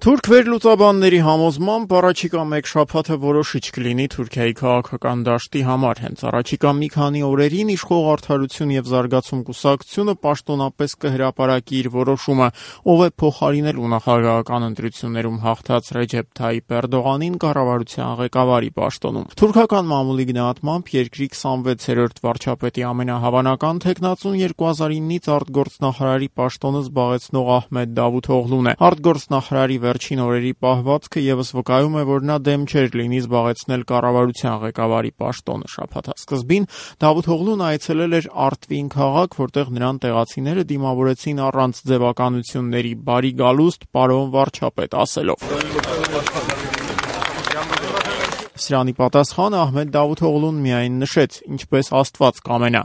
Թուրք վերլուծաբանների համոզմամբ առաջիկա մեկ շաբաթը որոշիչ կլինի Թուրքիայի քաղաքական դաշտի համար։ Հենց առաջիկա մի քանի օրերին իշխող Արդարություն և զարգացում կուսակցությունը պաշտոնապես կհրապարակի իր որոշումը, ով է փոխարինելու նախագահական ընտրություններում հաղթած Ռեջեփ Թայիփ Էրդողանին կառավարության ղեկավարի պաշտոնում։ Թուրքական մամուլի գնահատմամբ երկրի 26-րդ վարչապետի ամենահավանական թեկնածուն 2009-ից արտգործնախարարի պաշտոնը զբաղեցնող Ահմեդ Դավութօղլուն է։ Արտգործնախարարի վերջին օրերի պահվածքը ևս վկայում է, որ նա դեմ չէր լինի զբաղեցնել կառավարության ղեկավարի պաշտոնը։ Շաբաթ սկզբին Դավութօղլուն այցելել էր Արտվին քաղաք, որտեղ նրան տեղացիները դիմավորեցին առանց ձևականությունների՝ բարի գալուստ, պարոն վարչապետ ասելով։ Սրանի պատասխան Ահմեդ Դավութօղլուն միայն նշեց, ինչպես Աստված կամենա։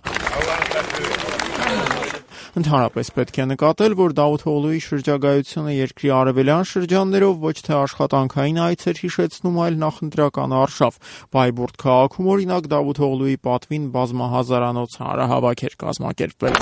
Ընդհանրապես պետք է նկատել, որ Դավութօղլուի շրջագայությունը երկրի արևելյան շրջաններով ոչ թե աշխատանքային այց էր հիշեցնում, այլ նախընտրական արշավ։ Բայբուրդ քաղաքում օրինակ Դավութօղլուի պատվին բազմահազարանոց հանրահավաք էր կազմակերպվել։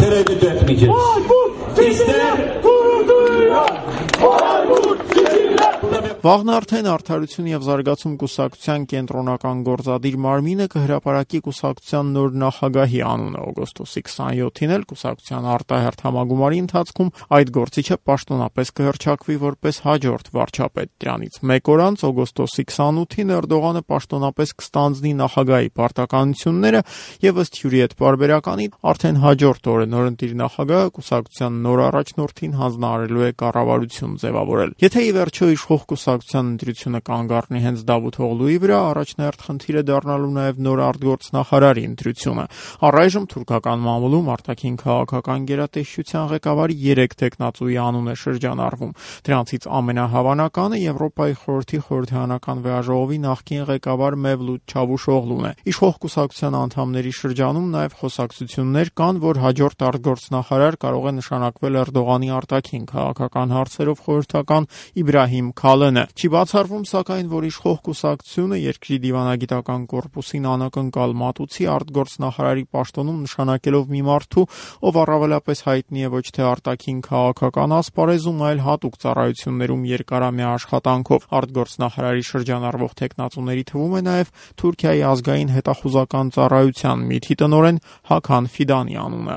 Վաղն արդեն Արդարություն և զարգացում կուսակցության կենտրոնական գործադիր մարմինը կհրապարակի կուսակցության նոր նախագահի անունը։ Օգոստոսի 27-ին էլ կուսակցության արտահերթ համագումարի ընթացքում այդ գործիչը պաշտոնապես կհռչակվի որպես հաջորդ վարչապետ։ Դրանից մեկ օր անց օգոստոսի 28-ին Էրդողանը պաշտոնապես կստանձնի նախագահի պարտականությունները եւ ըստ հյուրի հետ պարբերականի արդեն հաջորդ օրը նորընտիր նախագահը կուսակցության նոր առաջնորդին հանձնարարելու է կառավարություն ձևավորել։ Եթե ի վերջո իշխող կուսակցության ընտրությունը կանգ առնի հենց Դավութօղլուի վրա, առաջնահերթ խնդիր է դառնալու նաև նոր արտգործնախարարի ընտրությունը։ Առայժմ թուրքական մամուլում արտաքին քաղաքական գերատեսչության ղեկավարի 3 տեխնացուի անուն է շրջանառվում։ Դրանցից ամենահավանականը Եվրոպայի խորհրդի խորհրդարանական վեաժողովի նախկին ղեկավար Մևլութ Չավուշօղլուն է։ Իշխող կուսակցության անդամների շրջանում նաև խոսակցություններ կան, որ հաջորդ արտգործնախարար կարող է նշանակվել Էրդողանի արտաքին քաղաքական հարցերով խորհրդական Իբրահիմ Քալենը։ Չի բացառվում, սակայն, որ իշխող կուսակցությունը երկրի դիվանագիտական կորպուսին անակնկալ մատուցի արտգործնախարարի պաշտոնում նշանակելով մի մարդու, ով առավելապես հայտնի է ոչ թե արտաքին քաղաքական ասպարեզում, այլ հատուկ ծառայություններում երկարամյա աշխատանքով։ Արտգործնախարարի շրջանառվող տեխնացուների թվում է նաև Թուրքիայի ազգային հետախուզական ծառայության ՄԻԹ-ի տնօրեն Հաքան Ֆիդանի անունը։